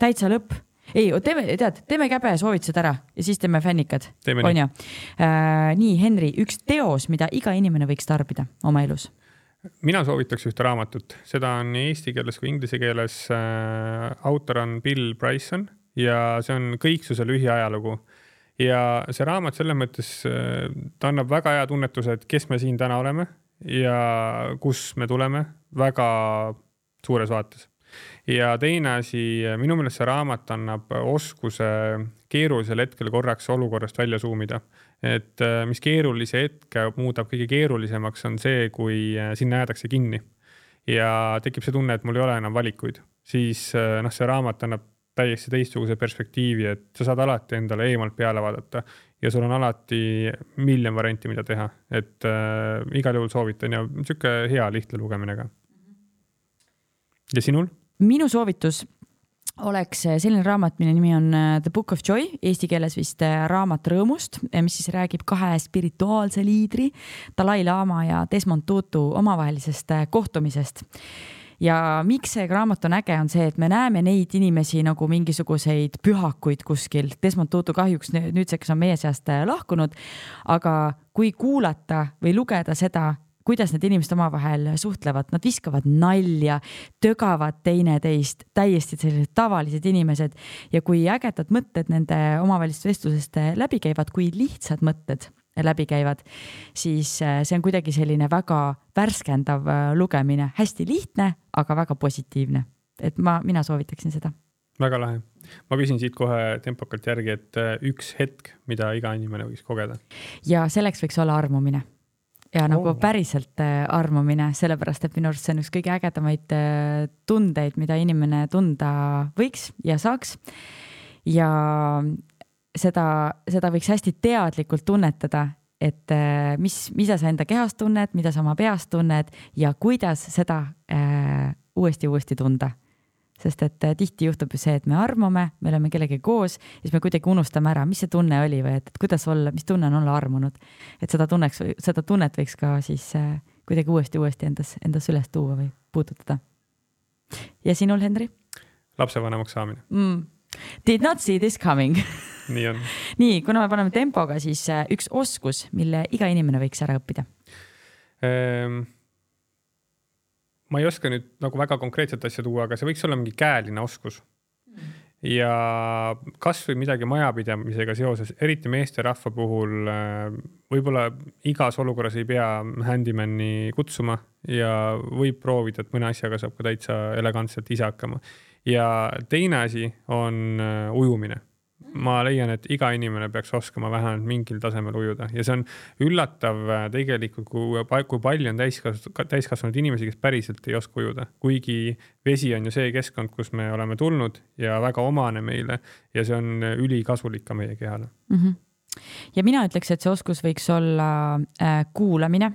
Täitsa lõpp. Ei, teeme käbe soovitused ära ja siis teeme fännikad. Teeme nii. Nii, Henri, üks teos, mida iga inimene võiks tarbida oma elus. Mina soovitaks ühte raamatut. Seda on nii eesti keeles kui inglise keeles. Autor on Bill Bryson ja see on kõiksuse lühiajalugu. Ja see raamat selles mõttes, ta annab väga hea tunnetuse, et kes me siin täna oleme ja kus me tuleme väga suures vaates. Ja teine asi, minu meelest see raamat annab oskuse keerulisel hetkel korraks olukorrast välja suumida. Et mis keerulise hetke muudab kõige keerulisemaks on see, kui sinna jäädakse kinni ja tekib see tunne, et mul ei ole enam valikuid. Siis see raamat annab täiesti teistsuguse perspektiivi, et sa saad alati endale eemalt peale vaadata ja sul on alati miljon varianti, mida teha. Et igal juhul soovitan ja siuke hea lihtne lugemine ka. Ja sinul? Minu soovitus oleks selline raamat, mille nimi on The Book of Joy, eesti keeles vist raamat rõõmust, mis siis räägib 2 spirituaalse liidri, Dalai Lama ja Desmond Tutu omavahelisest kohtumisest. Ja miks see raamat on äge, on see, et me näeme neid inimesi nagu mingisuguseid pühakuid kuskil. Desmond Tutu kahjuks nüüdseks on meie seast lahkunud, aga kui kuulata või lugeda seda, kuidas need inimesed omavahel suhtlevad, nad viskavad nalja, tögavad teineteist, täiesti sellised tavalised inimesed ja kui ägedad mõtted nende omavahelist vestlusest läbi käivad, kui lihtsad mõtted läbi käivad, siis see on kuidagi selline väga värskendav lugemine, hästi lihtne, aga väga positiivne. Et mina soovitaksin seda. Väga lahe. Ma küsin siit kohe tempokalt järgi, et üks hetk, mida iga inimene võiks kogeda. Ja selleks võiks olla armumine. Ja nagu päriselt armumine, sellepärast, et minu arust see on üks kõige ägedamaid tundeid, mida inimene tunda võiks ja saaks. Ja seda võiks hästi teadlikult tunnetada, et mida sa enda kehast tunned, mida sa oma peast tunned ja kuidas seda uuesti tunda. Sest et tihti juhtub ju see, et me armume, me oleme kellegi koos ja siis me kuidagi unustame ära, mis see tunne oli või et kuidas olla, mis tunne on olla armunud. Et seda tunnet võiks ka siis kuidagi uuesti endas üles tuua või puudutada. Ja sinul, Henri? Lapsevanemaks saamine. Did not see this coming. Nii on. Nii, kuna me paneme tempoga, siis üks oskus, mille iga inimene võiks ära õppida. Ma ei oska nüüd nagu väga konkreetset asja tuua, aga see võiks olla mingi käeline oskus. ja kas või midagi majapidamisega seoses, eriti meesterahva puhul võib-olla igas olukorras ei pea handymani kutsuma ja võib proovida, et mõne asjaga saab ka täitsa elegantselt ise hakkama. Ja teine asi on ujumine. Ma leian, et iga inimene peaks oskama vähemalt mingil tasemel ujuda ja see on üllatav tegelikult, kui palju on täiskasvanud inimesi, kes päriselt ei oska ujuda. Kuigi vesi on ju see keskkond, kus me oleme tulnud ja väga omane meile ja see on ülikasulik ka meie kehale. Ja mina ütleks, et see oskus võiks olla kuulamine,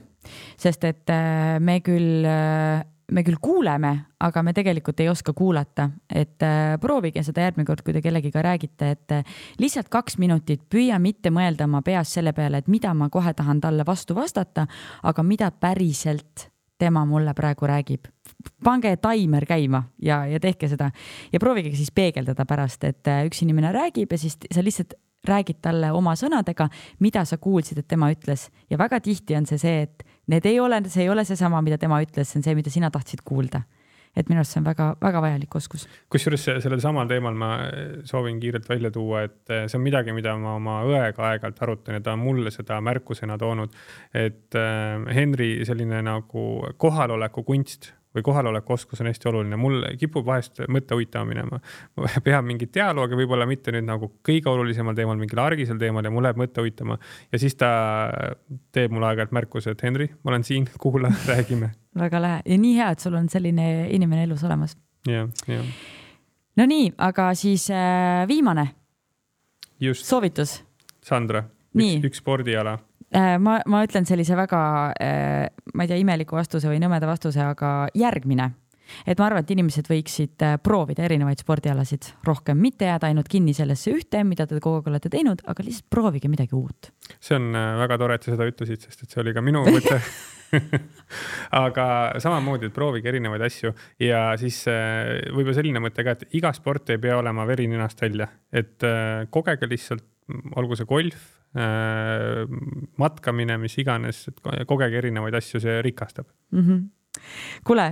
sest et me küll kuuleme, aga me tegelikult ei oska kuulata, et proovige seda järgmine kord, kui te kellegiga räägite, et lihtsalt 2 minutit püüa mitte mõelda oma peas selle peale, et mida ma kohe tahan talle vastu vastata, aga mida päriselt tema mulle praegu räägib. Pange taimer käima ja tehke seda ja proovige siis peegeldada pärast, et üks inimene räägib ja siis sa lihtsalt räägid talle oma sõnadega, mida sa kuulsid, et tema ütles. Ja väga tihti on see, et see ei ole see sama, mida tema ütles, see on see, mida sina tahtsid kuulda. Et minu arust see on väga, väga vajalik oskus. Kusjuures sellel samal teemal ma soovin kiirelt välja tuua, et see on midagi, mida ma oma õega aeg-ajalt arutan ja ta on mulle seda märkusena toonud, et Henri selline nagu kohaloleku kunst või kohaloleku oskus on hästi oluline. Mul kipub vahest mõtte uitama minema. Ma pean mingit dialoogi, võib-olla mitte nüüd nagu kõige olulisemal teemal, mingil argisel teemal ja mul läheb mõtte uitama. Ja siis ta teeb mulle aeg-ajalt märkuse, et Henri, ma olen siin, kuula, räägime. Väga lähe. Ja nii hea, et sul on selline inimene elus olemas. Ja. No nii, aga siis viimane Just. Soovitus. Sandra, üks spordiala. Ma ütlen sellise väga, ma ei tea, imeliku vastuse või nõmeda vastuse, aga järgmine. Et ma arvan, et inimesed võiksid proovida erinevaid spordialasid rohkem, mitte jääda ainult kinni sellesse ühte, mida te kogu aeg olete teinud, aga lihtsalt proovige midagi uut. See on väga tore, et sa seda ütlesid, sest et see oli ka minu mõte. Aga samamoodi, et proovige erinevaid asju ja siis võib-olla selline mõte ka, et iga sport ei pea olema verininast välja, et kogege lihtsalt, olgu see golf, matkamine, mis iganes, et kogege erinevaid asju, see rikastab. Kuule,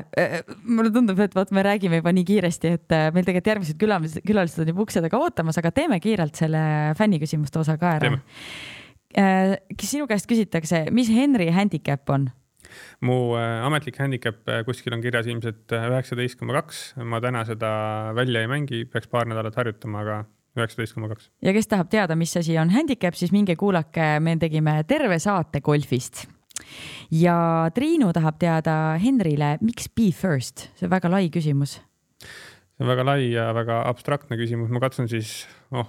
mulle tundub, et me räägime juba nii kiiresti, et meil tegelikult järgmised külalised on juba ukse taga ootamas, aga teeme kiirelt selle fänniküsimuste osa ka ära. Sinu käest küsitakse, mis Henri handicap on? Mu ametlik handicap kuskil on kirjas ilmselt 19,2. Ma täna seda välja ei mängi, peaks paar nädalat harjutama, aga 19,2. Ja kes tahab teada, mis asi on handicap, siis minge kuulake, me tegime terve saate golfist. Ja Triinu tahab teada Henrile, miks be first? See on väga lai küsimus. See on väga lai ja väga abstraktne küsimus. Ma katsun siis, ma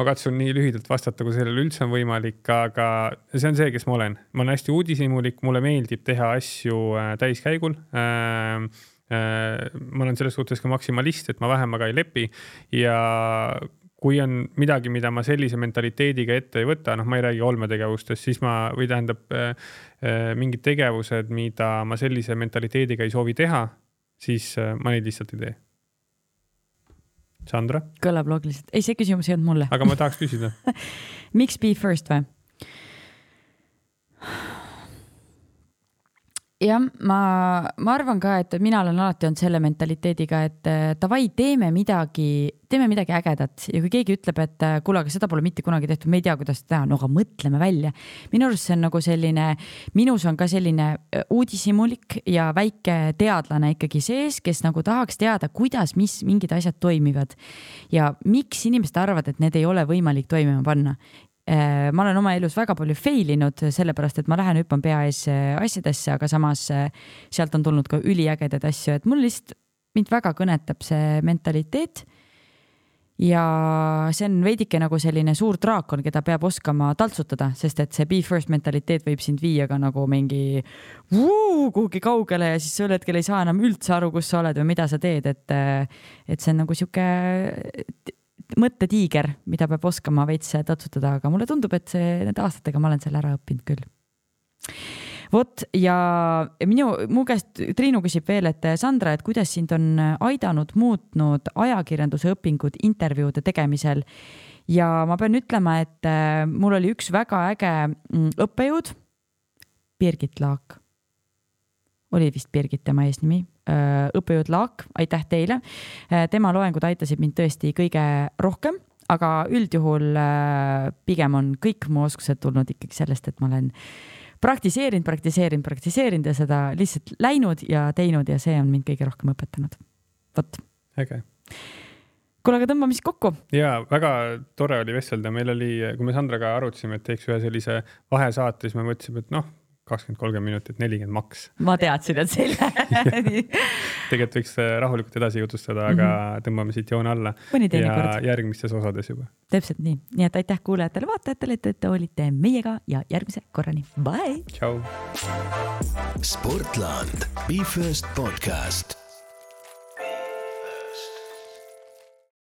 katsun nii lühidalt vastata, kui sellel üldse on võimalik, aga see on see, kes ma olen. Ma olen hästi uudishimulik, mulle meeldib teha asju täiskäigul. Ma olen selles suhtes ka maksimalist, et ma vähemaga ei lepi ja kui on midagi, mida ma sellise mentaliteediga ette ei võta, ma ei räägi olmetegevustest, siis või tähendab mingid tegevused, mida ma sellise mentaliteediga ei soovi teha, siis ma neid lihtsalt ei tee. Sandra? Kõlab loogiliselt. Ei, see küsimus ei olnud mulle. Aga ma tahaks küsida. Miks be first või? Ja ma arvan ka, et mina olen alati olnud selle mentaliteediga, et davai, teeme midagi ägedat ja kui keegi ütleb, et kuule, aga seda pole mitte kunagi tehtud, me ei tea, kuidas teha, no aga mõtleme välja. Minu arust see on nagu selline, minus on ka selline uudishimulik ja väike teadlane ikkagi sees, kes nagu tahaks teada, kuidas mingid asjad toimivad ja miks inimesed arvavad, et need ei ole võimalik toimima panna. Ma olen oma elus väga palju failinud, sellepärast, et ma lähen hüppan pea ees asjadesse, aga samas sealt on tulnud ka üliägedad asju, et mul lihtsalt mind väga kõnetab see mentaliteet ja see on veidike nagu selline suur draakon, keda peab oskama taltsutada, sest et see be first mentaliteet võib sind viia ka nagu mingi kuhugi kaugele ja siis sa hetkel ei saa enam üldse aru, kus sa oled või mida sa teed, et see on nagu siuke mõttetiiger, mida peab oskama veits tatsutada, aga mulle tundub, et need aastatega ma olen selle ära õppinud küll. Vot, ja mu käest Triinu küsib veel, et Sandra, et kuidas sind on muutnud ajakirjanduse õpingud intervjuude tegemisel ja ma pean ütlema, et mul oli üks väga äge õppejõud, Birgit Laak. oli vist Birgit tema eesnimi, õppejõud Laak, aitäh teile. Tema loengud aitasid mind tõesti kõige rohkem, aga üldjuhul pigem on kõik mu oskused tulnud ikkagi sellest, et ma olen praktiseerinud ja seda lihtsalt läinud ja teinud ja see on mind kõige rohkem õpetanud. Vot. Äge. Kuule, aga tõmbame siis kokku. Jaa, väga tore oli vestelda. Meil oli, kui me Sandraga arutasime, et teeks ühe sellise vahesaate, siis me mõtlesime, et 20-30 minutit, 40 maks. Ma teadsin, et see Tegelikult võiks rahulikult edasi jutustada, aga tõmbame siit joone alla. Ja järgmistes osades juba. Täpselt nii. Nii et aitäh kuulajatele, vaatajatele, et te olite meiega ja järgmise korrani. Bye! Ciao! Sportland. Be First podcast.